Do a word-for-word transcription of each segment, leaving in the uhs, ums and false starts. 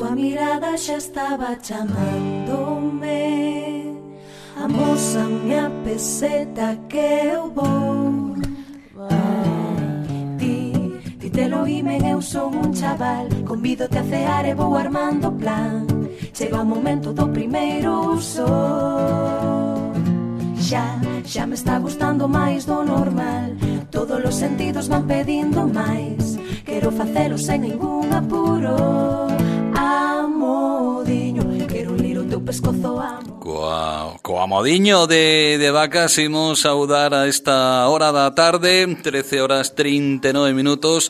tua mirada xa estaba chamándome. Amósame a peseta que eu vou. Ti, ti te lo imen, eu son un chaval. Convídote a cear e vou armando plan. Chega o momento do primeiro uso. Xa, xa me está gustando máis do normal. Todos os sentidos van pedindo máis. Quero facelo sen ningún apuro. Amodiño, quero lir o teu pescozo, amo. Coa, coa modiño de, de Vacas imos saudar a esta hora da tarde, trece horas trinta e nove minutos,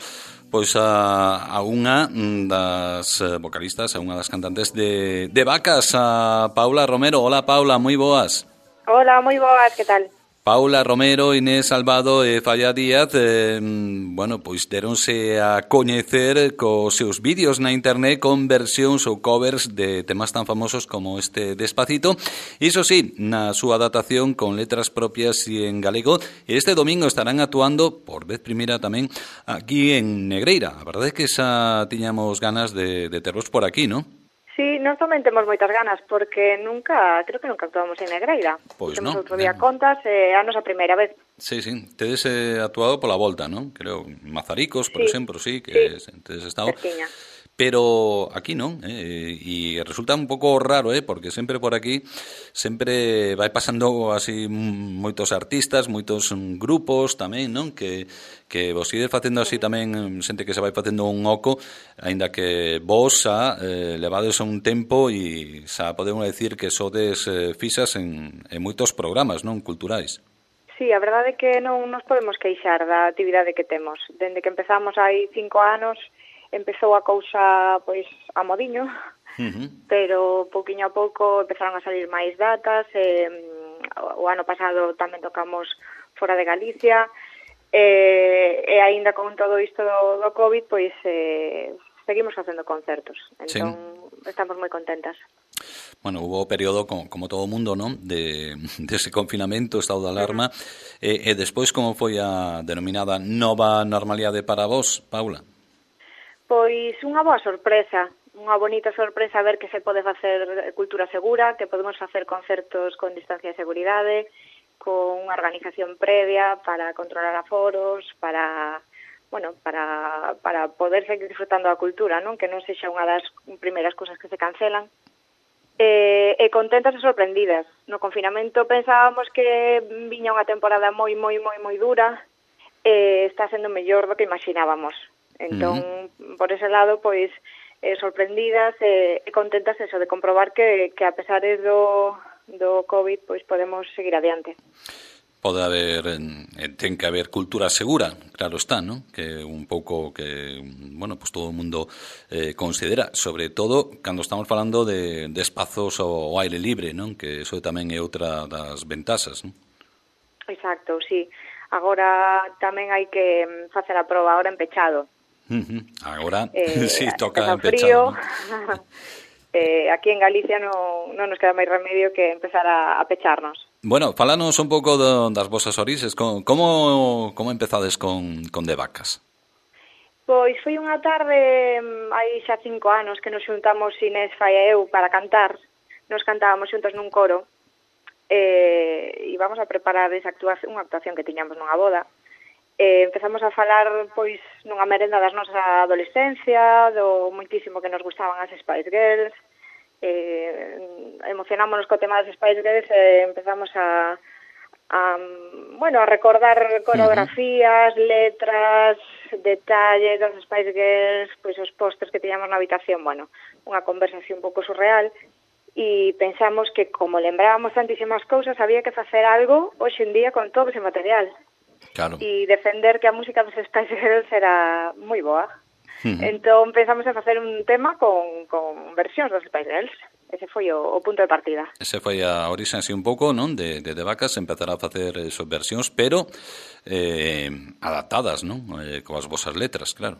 pois a, a unha das vocalistas, a unha das cantantes de, de Vacas, a Paula Romero. Hola Paula, moi boas. Hola, moi boas, que tal? Paula Romero, Inés Salvado e Falla Díaz, eh, bueno, pois deronse a coñecer cos seus vídeos na internet con versións ou covers de temas tan famosos como este Despacito. Iso sí, na súa adaptación con letras propias e en galego. Este domingo estarán actuando, por vez primeira tamén, aquí en Negreira. A verdade é que xa tiñamos ganas de, de tervos por aquí, non? Sí, nós tamén temos moitas ganas, porque nunca, creo que nunca actuamos en Negreira. Pois temos non. outro día contas, é eh, a nosa primeira vez. Sí, sí, tedes eh, actuado pola volta, non? Creo, Mazaricos, por sí. exemplo, sí, que sí. tedes estado. Cerquiña. Pero aquí non, eh, e resulta un pouco raro, eh, porque sempre por aquí sempre vai pasando así moitos artistas, moitos grupos tamén, non? Que, que vos ides facendo así tamén, xente que se vai facendo un oco, aínda que vos xa eh, levades un tempo e xa podemos decir que sodes eh, fixas en, en moitos programas, non? Culturais. Sí, a verdade é que non nos podemos queixar da actividade que temos. Dende que empezamos hai cinco anos, empezou a cousa, pois, a modiño, uh-huh. pero pouquiño a pouco empezaron a salir máis datas, e, o ano pasado tamén tocamos fora de Galicia, e, e aínda con todo isto do, do COVID, pois, eh, seguimos facendo concertos, entón sí. Estamos moi contentas. Bueno, hubo período, como, como todo o mundo, non? De, de ese confinamento, estado de alarma, uh-huh. e, e despois como foi a denominada nova normalidade para vos, Paula? Pois unha boa sorpresa, unha bonita sorpresa ver que se pode facer cultura segura, que podemos facer concertos con distancia de seguridade, con unha organización previa para controlar aforos, para, bueno, para, para poder seguir disfrutando da cultura, non? Que non sexa unha das primeiras cousas que se cancelan. E, e contentas e sorprendidas. No confinamento pensábamos que viña unha temporada moi, moi, moi, moi dura, e está sendo mellor do que imaginábamos. Entón, uh-huh. por ese lado, pois, eh, sorprendidas e, e contentas eso, de comprobar que, que a pesar do, do COVID, pois podemos seguir adiante. Pode haber, eh, ten que haber cultura segura, claro está, ¿no? Que un pouco que, bueno, pues todo o mundo eh, considera, sobre todo cando estamos falando de, de espazos ao aire libre, non? Que eso tamén é outra das ventaxas, non? Exacto, sí. Agora tamén hai que facer a proba agora en pechado. Uh-huh. Agora, eh, sí, toca en pechado, ¿no? eh, aquí en Galicia non, non nos queda máis remedio que empezar a, a pecharnos. Bueno, falanos un pouco do, das vosas orixes. Como, como empezades con, con De Vacas? Pois foi unha tarde, hai xa cinco anos, que nos xuntamos Inés, Fai e eu para cantar. Nos cantábamos xuntos nun coro, e íbamos a preparar esa actuación, unha actuación que tiñamos nunha boda. Eh, empezamos a falar, pois, nunha merenda das nosas adolescencia, do moitísimo que nos gustaban as Spice Girls, eh, emocionámonos co tema das Spice Girls e empezamos a, a, bueno, a recordar coreografías, letras, detalles das Spice Girls, pois os pósters que tiñamos na habitación, bueno, unha conversación un pouco surreal, e pensamos que, como lembrábamos tantísimas cousas, había que facer algo hoxe en día con todo ese material. Claro. E defender que a música dos Spice Girls era moi boa. Uh-huh. Entón pensamos en facer un tema con, con versións dos Spice Girls. Ese foi o, o punto de partida. Ese foi a orixe así un pouco, non? De, de, de Vacas, empezar a facer esas versións, pero eh, adaptadas, non? Eh, coas vosas letras, claro.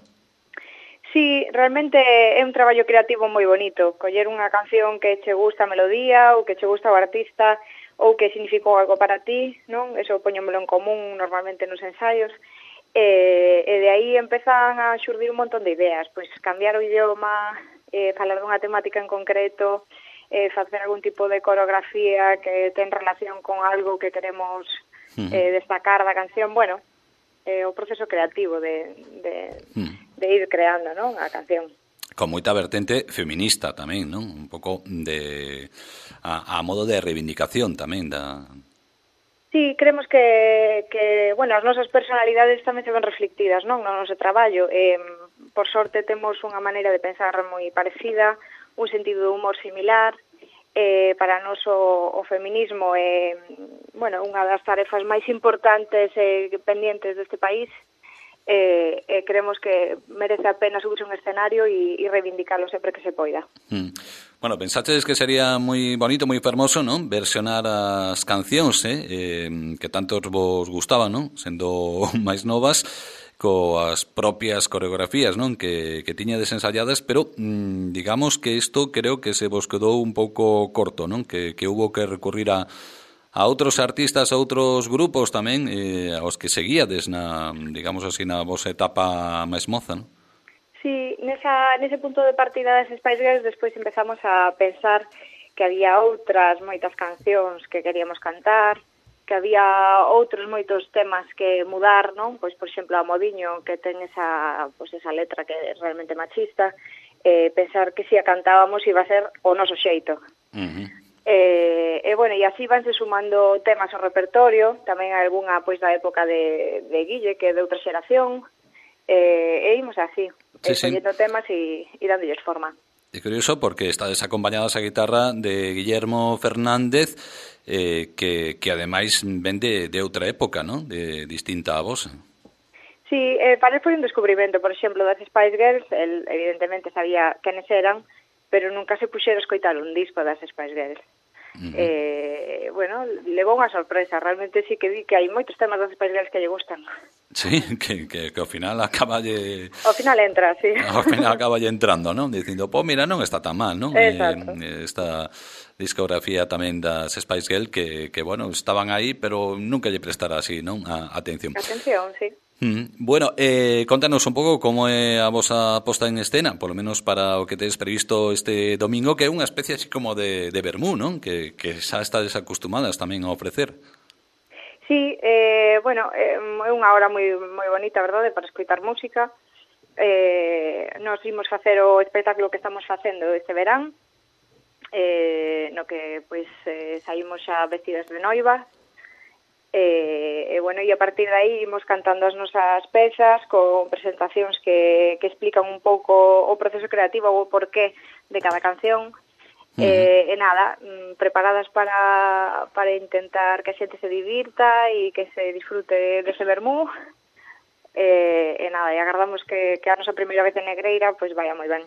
Sí, realmente é un traballo creativo moi bonito. Coller unha canción que che gusta a melodía ou que che gusta o artista ou que significou algo para ti, non? Eso poñémolo en común normalmente nos ensaios. E, e de aí empezan a xurdir un montón de ideas, pois cambiar o idioma, eh, falar dunha temática en concreto, eh, facer algún tipo de coreografía que ten relación con algo que queremos eh, destacar da canción, bueno, eh, o proceso creativo de, de, de ir creando, non, a canción. Con moita vertente feminista tamén, non? Un pouco de a, a modo de reivindicación tamén da... Sí, creemos que, que, bueno, as nosas personalidades tamén se ven reflectidas, non, no noso traballo. Eh, por sorte temos unha maneira de pensar moi parecida, un sentido de humor similar. Eh, para nós o, o feminismo é, bueno, unha das tarefas máis importantes e pendientes deste país. Eh, eh, creemos que merece a pena subirse un escenario e, e reivindicarlo sempre que se poida. Mm. Bueno, pensaches que sería moi bonito, moi fermoso, non? Versionar as cancións, eh? eh que tantos vos gustaban, non? Sendo máis novas, coas propias coreografías, non? Que, que tiñades ensayadas, pero mmm, digamos que isto creo que se vos quedou un pouco corto, non? Que, que hubo que recurrir a a outros artistas, a outros grupos tamén, eh, aos que seguíades na, digamos así, na vosa etapa máis moza, non? Sí, nesa, nese punto de partida das Spice Girls despois empezamos a pensar que había outras moitas cancións que queríamos cantar, que había outros moitos temas que mudar, non? Pois, por exemplo, a Modiño, que ten esa, pois, esa letra que é realmente machista, eh, pensar que se a cantábamos iba a ser o noso xeito. Uh-huh. Eh, e, bueno, e así vanse sumando temas ao repertorio, tamén algunha, pois, da época de, de Guille, que é de outra xeración, eh, e imos así, sí, escollendo sí. temas e, e dándolles forma. É curioso porque estades acompañadas a guitarra de Guillermo Fernández, eh, que, que ademais ven de, de outra época, ¿no? De distinta a vos. Sí, eh, para él foi un descubrimento, por exemplo, das Spice Girls, el evidentemente sabía quenes eran, pero nunca se puxera a escoitar un disco das Spice Girls. Uh-huh. Eh, bueno, levou unha sorpresa, realmente sí que vi que hai moitos temas das Spice Girls que lle gustan. Sí, que, que, que ao final acaba lle... Ao final entra, sí. Ao final acaba lle entrando, non? Dicindo, pô, mira, non está tan mal, non? Exacto. Eh, esta discografía tamén das Spice Girls que, que, bueno, estaban aí, pero nunca lle prestara así, non? A atención. Atención, sí. Mm, bueno, eh, contanos un pouco como é a vosa posta en escena, polo menos para o que tedes previsto este domingo, que é unha especie así como de, de vermú, non? Que, que xa estades acostumadas tamén a ofrecer. Sí, eh, bueno, é unha hora moi moi bonita, verdade, para escoitar música. Eh, nos imos facer o espectáculo que estamos facendo este verán, eh, no que pois eh, saímos xa vestidas de noiva. E, e, bueno, e a partir de aí imos cantando as nosas pezas con presentacións que, que explican un pouco o proceso creativo ou o porqué de cada canción. Uh-huh. e, e nada, preparadas para, para intentar que a xente se divirta e que se disfrute dese vermú. E, e nada, e agardamos que, que a nosa primeira vez en Negreira pois vaya moi ben.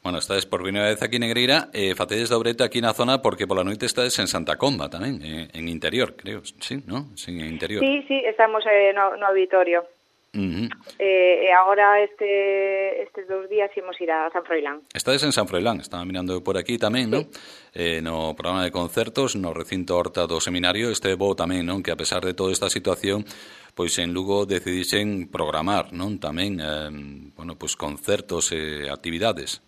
Bueno, estades por primeira vez aquí en Negreira, eh, facedes dobrete aquí na zona porque pola noite estades en Santa Comba tamén, eh, en interior, creo, sí, ¿no? Sí, en interior. Sí, sí, estamos eh, no, no auditorio. Uh-huh. eh, e agora este estes dous días imos ir a San Froilán. Estades en San Froilán, estaba mirando por aquí tamén, sí. ¿No? Eh, no programa de concertos, no recinto Horta do Seminario, este bo tamén, non? Que a pesar de toda esta situación, pois en Lugo decidixen programar, non? Tamén, eh, bueno, pois concertos e actividades.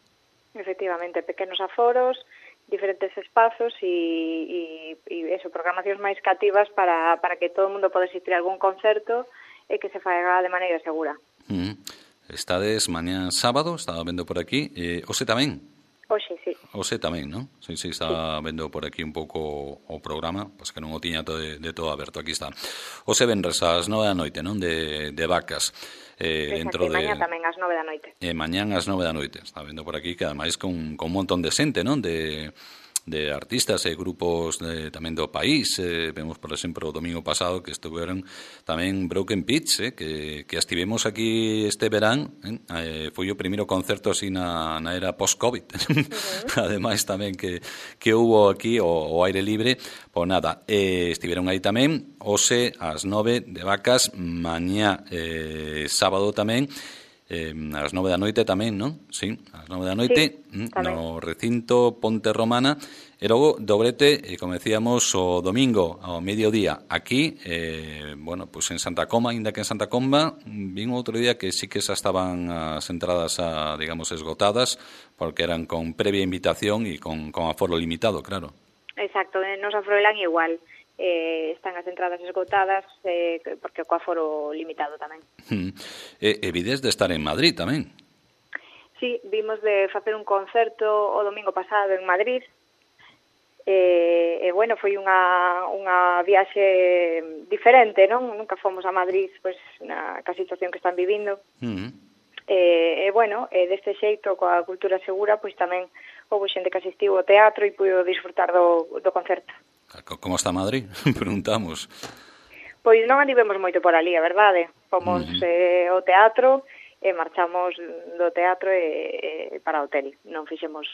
Efectivamente, pequenos aforos, diferentes espazos e, e, e eso, programacións máis cativas para, para que todo o mundo poda asistir a algún concerto e que se faga de maneira segura. Mm. Estades mañá sábado, estaba vendo por aquí, eh, hoxe tamén? Hoxe, sí. Hoxe tamén, non? Sí, sí, estaba sí. vendo por aquí un pouco o programa, pois que non o tiña todo de, de todo aberto, aquí está. Hoxe venres ás nove da noite, non? De, de Vacas. Eh, dentro de... mañá tamén ás nove da noite. E eh, mañán ás nove da noite. Está vendo por aquí que ademais con, con un montón de xente, non? De, de artistas e grupos de, tamén do país. Eh, vemos, por exemplo, o domingo pasado que estuveron tamén Broken Pitch, eh, que, que estivemos aquí este verán. Eh, foi o primeiro concerto así na, na era post-COVID. Uh-huh. Ademais tamén que, que hubo aquí o, o aire libre. Pois nada, eh, estiveron aí tamén hoxe ás nove de Vacas, mañá eh, sábado tamén. eh, ás nove da noite tamén, non? Sí, ás nove da noite, sí, no recinto Ponte Romana, e logo dobrete, eh, como decíamos, o domingo ao mediodía aquí, eh, bueno, pois pues en Santa Comba, ainda que en Santa Comba, vin outro día que sí que xa estaban as entradas, a, digamos, esgotadas, porque eran con previa invitación e con, con aforo limitado, claro. Exacto, nos Afroelán igual. Eh, están as entradas esgotadas eh, porque co aforo limitado tamén. Hmm. E, e vides de estar en Madrid tamén. Sí, vimos de facer un concerto o domingo pasado en Madrid. E, e bueno, foi unha, unha viaxe diferente, non? Nunca fomos a Madrid, pois, na ca situación que están vivindo. Hmm. E, e bueno, e deste xeito, coa cultura segura, pois tamén houve xente que asistiu ao teatro e puido disfrutar do, do concerto. Como está Madrid? Preguntamos. Pois non andivemos moito por ali, a verdade. Fomos uh-huh. eh, ao teatro e marchamos do teatro e, e para o hotel. Non fixemos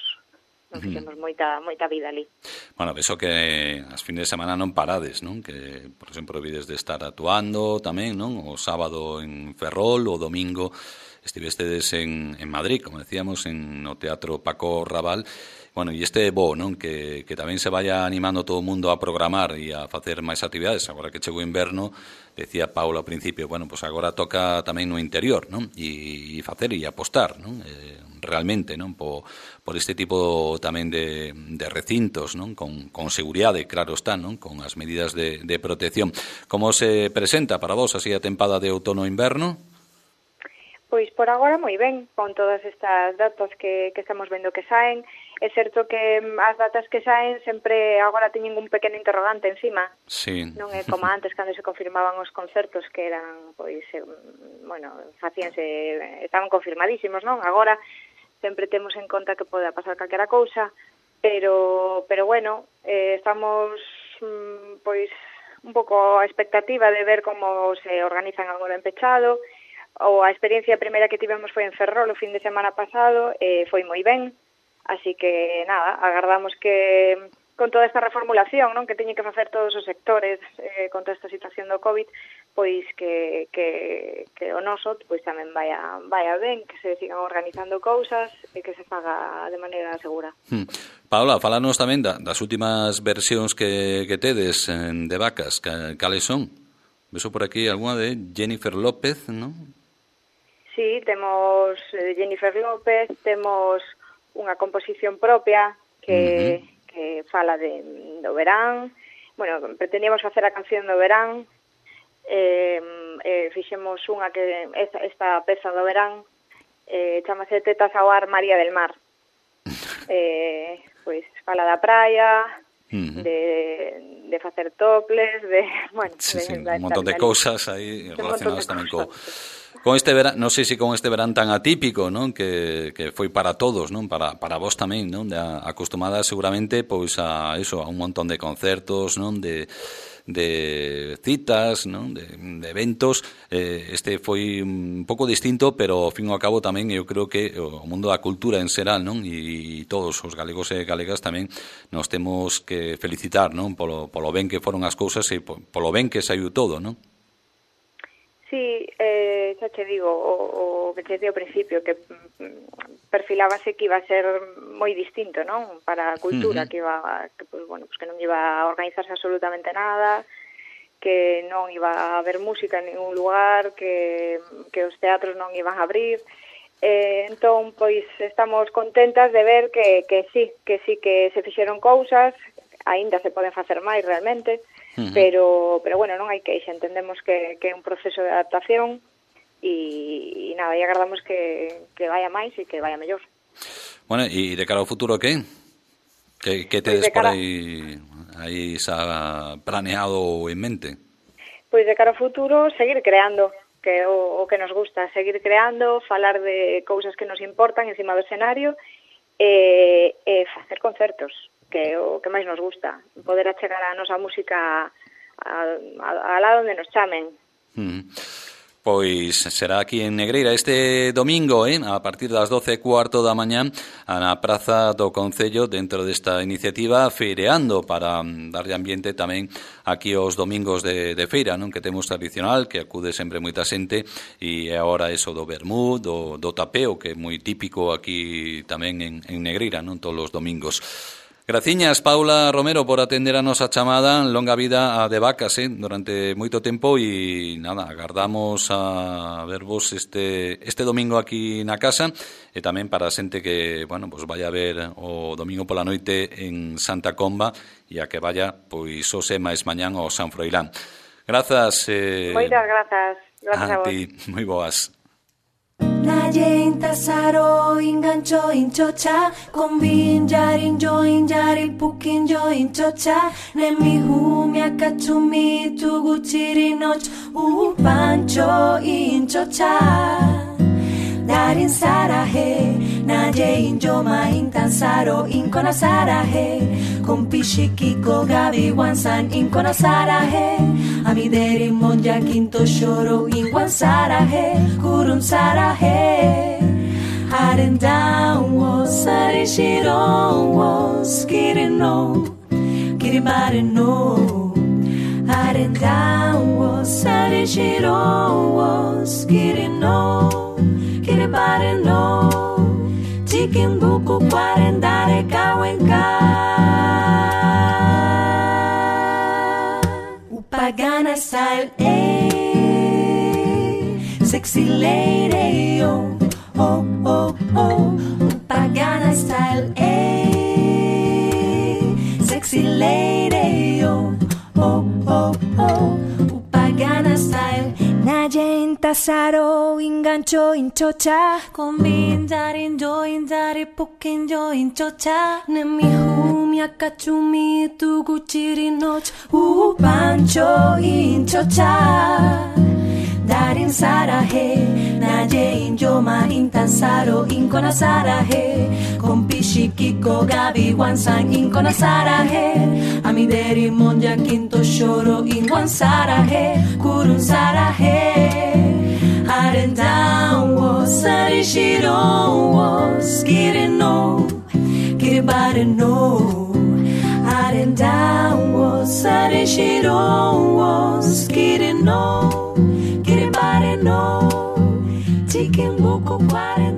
non fixemos uh-huh. moita moita vida ali. Bueno, penso que as fines de semana non parades, non? Que, por exemplo, vides de estar actuando tamén, non? O sábado en Ferrol, o domingo estivestedes en, en Madrid, como decíamos, en no Teatro Paco Raval. Bueno, e este bo, non? Que, que tamén se vaya animando todo o mundo a programar e a facer máis actividades. Agora que chegou o inverno, decía Paula ao principio, bueno, pues agora toca tamén no interior, non? E, e facer e apostar, non? Eh, realmente, non? Por, por este tipo tamén de, de recintos, non? Con, con seguridade, claro está, non? Con as medidas de, de protección. Como se presenta para vos así a tempada de outono-inverno? Pois por agora moi ben, con todas estas datas que, que estamos vendo que saen. É certo que as datas que saen sempre agora teñen un pequeno interrogante encima. Sí. Non é como antes, cando se confirmaban os concertos que eran, pois, eh, bueno, facíanse, estaban confirmadísimos, non? Agora sempre temos en conta que pode pasar calquera cousa, pero, pero bueno, eh, estamos, pois, un pouco a expectativa de ver como se organizan agora en pechado. O a experiencia primeira que tivemos foi en Ferrol o fin de semana pasado, e foi moi ben, así que nada, agardamos que con toda esta reformulación, non, que teñen que facer todos os sectores eh, con toda esta situación do COVID, pois que, que, que o noso pois tamén vaya, vaya ben, que se sigan organizando cousas e que se faga de maneira segura. Hmm. Paula, falanos tamén da, das últimas versións que, que tedes de vacas, cales son? Veso por aquí alguna de Jennifer López, non? Sí, temos Jennifer López, temos unha composición propia que, uh-huh. que fala de, do verán. Bueno, pretendíamos facer a canción do verán, eh, eh, fixemos unha que esta, esta peza do verán, eh, chamase Tetas ao ar María del Mar. Eh, pois fala da praia, uh-huh. de, de facer toples, de, bueno, sí, de, sí, de, un montón de, de cousas aí relacionadas tamén co con este verán, non sei se con este verán tan atípico, non, que, que foi para todos, non, para para vos tamén, non, de, acostumada seguramente pois a eso, a un montón de concertos, non, de de citas, non, de, de eventos. Eh, este foi un pouco distinto, pero ao fin e ao cabo tamén eu creo que o mundo da cultura en xeral, non, e, e todos os galegos e galegas tamén nos temos que felicitar, non, polo polo ben que foron as cousas e polo ben que saiu todo, non? Sí, eh, xa che digo, o, o que che dei ao principio, que perfilábase que iba a ser moi distinto, non? Para a cultura, uh-huh. que iba, que, pues, bueno, pues que non iba a organizarse absolutamente nada, que non iba a haber música en ningún lugar, que, que os teatros non iban a abrir. Eh, entón, pois, estamos contentas de ver que, que sí, que sí que se fixeron cousas, aínda se poden facer máis realmente, uh-huh. pero, pero bueno, non hai que xa entendemos que, que é un proceso de adaptación e, e nada, e agardamos que, que vaya máis e que vaya mellor. Bueno, e de cara ao futuro, que? Que, que tedes pues cara... por aí, aí xa planeado en mente? Pois de cara ao futuro, seguir creando, que o, o que nos gusta, seguir creando, falar de cousas que nos importan encima do escenario e, e facer concertos, que é o que máis nos gusta, poder achegar a nosa música a, a, a lá onde nos chamen. Mm. Pois será aquí en Negreira este domingo, eh, a partir das doce e cuarto da mañá, na Praza do Concello, dentro desta iniciativa Feireando, para darlle ambiente tamén aquí os domingos de, de feira, non, que temos tradicional, que acude sempre moita xente, e agora eso do vermú, do, do tapeo, que é moi típico aquí tamén en, en Negreira, non, todos os domingos. Graciñas, Paula Romero, por atender a nosa chamada. Longa vida a De Vacas, eh, durante moito tempo, e nada, agardamos a vervos este este domingo aquí na casa, e tamén para a xente que, bueno, pues vaya a ver o domingo pola noite en Santa Comba, e a que vaya, pois, hoxe máis mañán ao San Froilán. Grazas. Eh, Moitas grazas. Grazas a, a vos. Ti, moi boas. Naye intasaro ingancho inchocha Kombin jarin join jari pukin join chocha Nemi humi akachumi tuguchiri noch Upancho inchocha Darin sarahe Naye injoma intansaro inkona sarahe Kompishikiko gabi wansan inkona sarahe Amideri monja quinto shoro inwan sarahe Kurun sarahe Haren down was sari shiron was Kirino Kiribare no Haren down was sari shiron was Kirino Kiribare no Chikin buku kwarendare kawenka Pagana style, eh, sexy lady, oh, oh, oh, oh. Pagana style, eh, sexy lady, oh, oh, oh, oh. Pagana style. Naye intasaro ingancho inchocha Kombin jarin join jari pukin join chocha Nemi humi akachumi tuguchiri noch Upancho inchocha Darin sarahe Naye injoma intansaro inkona sarahe Kompishikiko gabi wansan inkona sarahe Amideri monja quinto shoro inwan sarahe Kurun sarahe Haren down was sari shiron was Kirino Kiribare no Haren down was sari shiron was Kirino Kiribare no Chicken buku kware